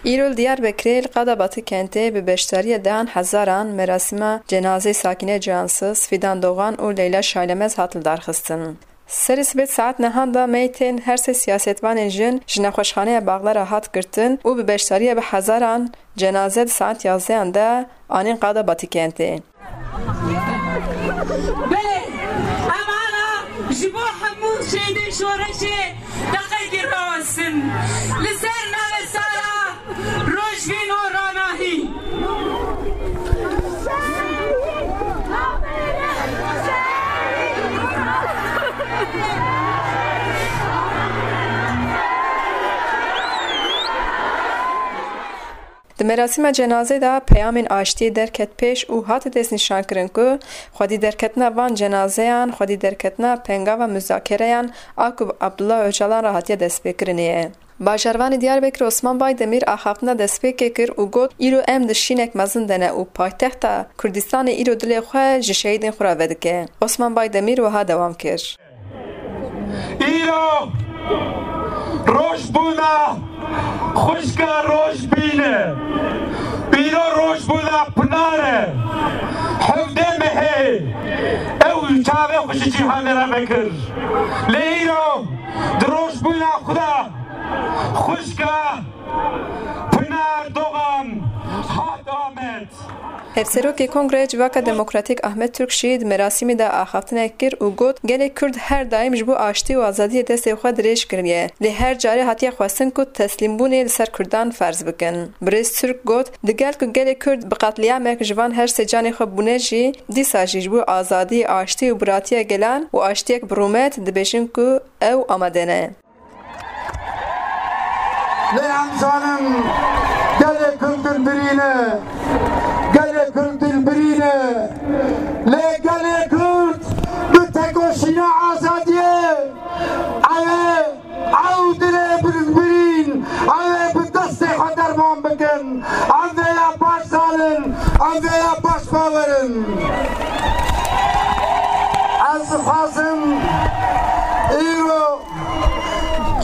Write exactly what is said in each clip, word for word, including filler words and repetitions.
Îro li Diyarbekirê li qada Batikentê bi beşdariya dehan hezaran merasîma cenazeyê Sakîne Cansiz, Fîdan Dogan û Leyla Şaylemez hat lidarxistin. Serê sibê di saet nehan de meytên her sê siyasetvanên jin ji nexweşxaneya Baxdara hat girtin û bi beşdariya bi hezaran cenaze di saet yazdeyan de anîn qada Batikentê. Belê, em ana ji bo hemû şehîdên şoreşê deqekê rawestin. Li ser navê Sara, Rojbîn û Ranahî. Di merasîma cenazê de peyamên aştiyê derket pêş û hate destnîşankirin ku xwedî derketina van cenazeyan xwedî derketina pengava muzakereyan a ku bi Abdullah Ocalan re hatiye destpêkirinê ye. Bajarvanê Diyarbekir Osman Baydemîr axaftina destpêkê kir û got, Îro em di şînek mezin de ne û paytexta Kurdistanê îro dilê xwe ji şehîdên xwe re vedike. Osman Baydemîr wiha dewam kir. Îro rojbûna xwişka Rojbîn e. Îro rojbûna Pinar e. Hevdeh mehê ew çavê xwe ji cîhanê re vekir. Lê îro di rojbûna xwe de xwişka Pinar Dogan hat Amed. Hevserokê Kongreyê Civaka Demokratîk Ahmet Türk jî di merasîmê de axaftinek kir û got, Gelê Kurd her daîm ji bo aştî û azadiyê destê xwe dirêj kiriye, lê her carê hatiye xwestin ku teslîmbûnê li ser Kurdan ferz bikin. Birêz Türk got, Digel ku gelê Kurd bi qetlîamek ji van her sê canê xwe bûne jî, dîsa jî ji bo azadî, aştî û biratiya gelan û aştiyek bi rûmet dibêjin ku ew amade ne. Lê em zanin gelê Kurd dilbirî ne. Gelê Kurd dilbirî ne. Lê gelê Kurd bi tekoşîna azadiyê ew ê ew dilê dilbirîn ew ê bi destê xwe derman bikin. Em vê ya baş zanin, em vê ya baş bawer in. Ez dixwazim îro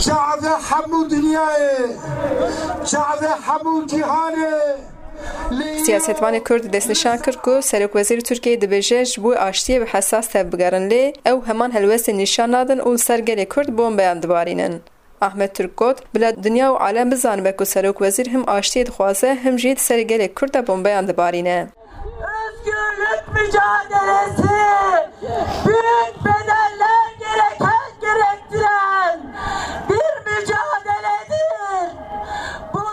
çavê hemû dinyayê, çavê hemû cîhanê. Siyasetvanê Kurd destnîşan kir ku Serokwezîrê Tirkiyeyê dibêje ji bo aştiyê bi hesas tevbigerin, lê ew heman helwestê nîşan nadin û li ser gelê Kurd bombeyan dibarînin. Ahmet Türk got, Bila dinya û alem bizanibe ku Serokwezîr him aştiyê dixwaze, him jî di serê gelê Kurd de bombeyan dibarîne. Özgürlük mücadelesi büyük bedeller gereken, gerektiren bir mücadeledir.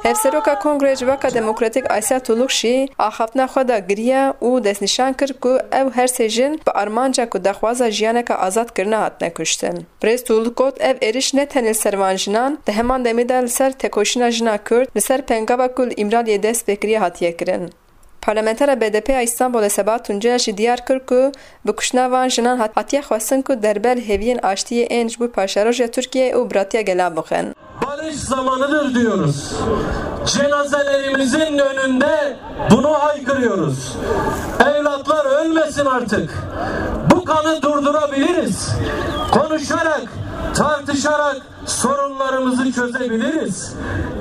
Hevseroka Kongreya Civaka Demokratîk Asya Tuluk jî axaftina xwe de giriya û destnîşan kir ku ew her sê jin bi armanca ku daxwaza jiyaneke azadkirina hatine kuştin. Birêz Tuluk got, Ev êriş ne tenê li ser van jinan, di heman demê de li ser tekoşîna jina Kurd, li ser pengava ku li Îmraliyê dest pê kiriye hatiye kirin. Parlamentera B D P ya Îstanbulê Seba Tuncer jî diyar kir ku bi kuştina van jinan hat-, hatiye xwestin ku derbe li hêviyên aştiyê ên ji bo paşeroja Tirkiyeyê û biratiya gelan bixin. Barış zamanıdır diyoruz. Cenazelerimizin önünde bunu haykırıyoruz. Evlatlar ölmesin artık. Bu kanı durdurabiliriz. Konuşarak, tartışarak sorunlarımızı çözebiliriz.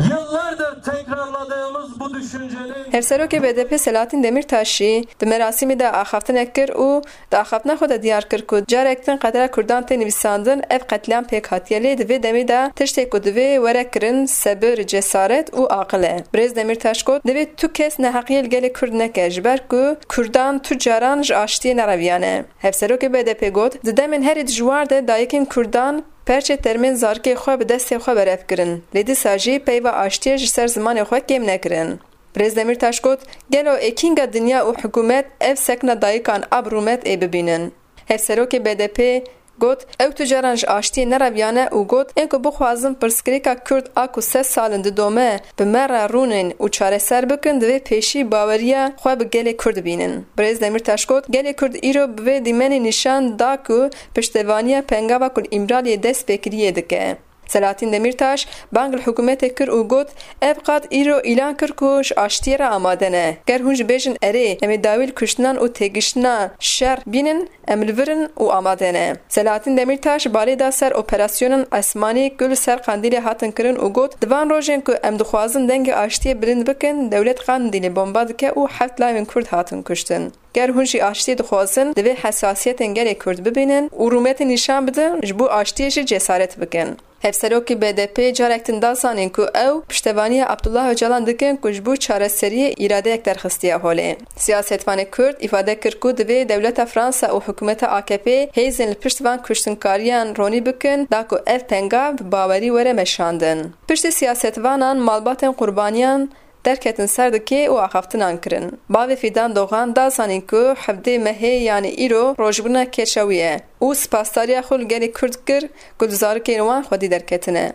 Yıllardır tekrarladığımız bu düşüncenin Hevserokê B D P Selahattin Demirtaş jî di merasîmê de axaftinek kir û di axaftina xwe de diyar kir ku carek din qedera Kurdan tê nivîsandin, ev qetlîam pêk hatiye, lê di vê demê de tiştê ku divê were kirin sebir, cesaret û aqil e. Birêz Demirtaş got, Divê tu kes neheqiyê li gelê Kurd neke, ji ber ku Kurdan tu caran ji aştiyê nereviyane. Hevserokê B D P got, Di demên herî dijwar de dayikên Kurdan perçê termên zarikê xwe bi destê xwe berev kirin, lê dîsa jî peyva aştiyê ji ser zimanê xwe kêm nekirin. Birêz Demîrtaş got, Gelo ê kînga dinya û hikûmet ev sekna dayikan a bi rûmet ê bibînin? Hevserokê B D P got, Ew tu caran ji aştiyê nereviyane û got, Ên ku bixwazin pirsgirêka Kurd a ku sed sal in didome, bi me re rûnin û çareser bikin, divê pêşî baweriya xwe bi gelê Kurd bînin. Birêz Demîrtaş got, Gelê Kurd îro bi vê dîmenê nîşan da ku piştevaniya pengava ku li Îmraliyê dest pê kiriyê dike. Selahattin Demirtaş bang li hikûmetê kir û got, ev qad îro îlan kir ku ji aştiyê re amade ne. Ger hûn jî bêjin erê, em ê dawî li kuştinan û têgiştina şer bînin, em li vir in û amade ne. Selahattin Demirtaş balê da ser operasyonan esmanî ku li ser Qandîlê hatin kirin û got, di van rojên ku em dixwazin dengê aştiyê bilind bikin, dewlet Qandîlê bomba dike û heft layên Kurd hatin kuştin. Ger hûn jî aştiyê dixwazin, divê hesasiyetên gelê Kurd bibînin û rûmetê nîşan bidin, ji bo aştiyê jî cesaret bikin. Hevserokê B D P carek din da zanîn ku ew piştevaniya Abdullah Ocalan dikin ku ji bo çareseriyê îradeyek derxistiye holê. Siyasetvanê Kurd îfade kir ku divê dewleta Fransa û hikûmeta A K P hêzên li pişt van kuştinkariyan ronî bikin, da ku ev pengav bi bawerî were meşandin. Piştî siyasetvanan malbatên qurbaniyan derketin ser dikê û axaftinan kirin. Bavê Fîdan Dogan da zanîn ku hevdê mehê, yanî îro, rojbûna keça wî ye û spasdariya xwe li gelê Kurd kir ku di zarokên wan xwedî derketine.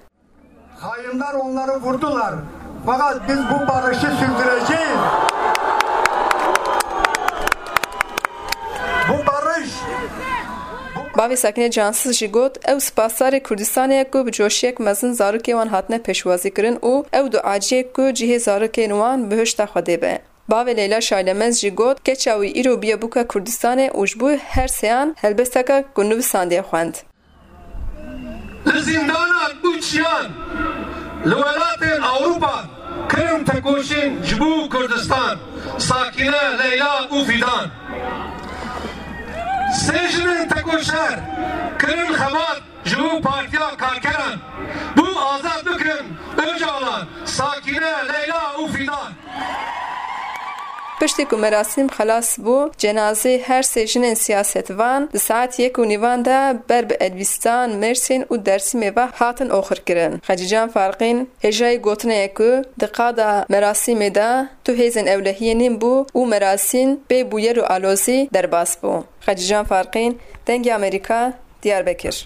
Hainler onları vurdular. Fakat biz bu barışı sürdüreceğiz. Bu barış Bavê Sakine Cansiz jî got, ew spasdarê Kurdistanê ye ku bi coşiyek mezin zarokê wan hatine pêşwazî kirin û ew duaciyê ku cihê zarokên wan bihişta Xwedê be. Bavê Leyla Şaylemez jî got, keça wî îro bûye bûka Kurdistanê û ji bo her seyan helbesteka ku nivîsandiye xwend. Li zîndanan û çiyan li welatên Ewropa kirin tekoşîn ji bo Kurdistan, Sakîne, Leyla û Fîdan. Sê jinên tekoşer kirin xebat ji bo Partiya Karkeran, bo azad bikin Ocalan, Sakîne, Leyla û Fîdan. Piştî ku merasîm xelas bû, cenazê her sê jinên siyasetvan di saet yek û nîvan de ber bi Elbîstan, Mêrsîn û Dersimê ve hatin oxirkirin. Xecîcan Farqîn hêjayî gotinê ye ku di qada merasîmê de tu hêzên ewlehiyê nîn bû û merasîm bê bûyer û alozî derbas bû. Xecîcan Farqîn, Dengê Amerîka, Diyarbekir.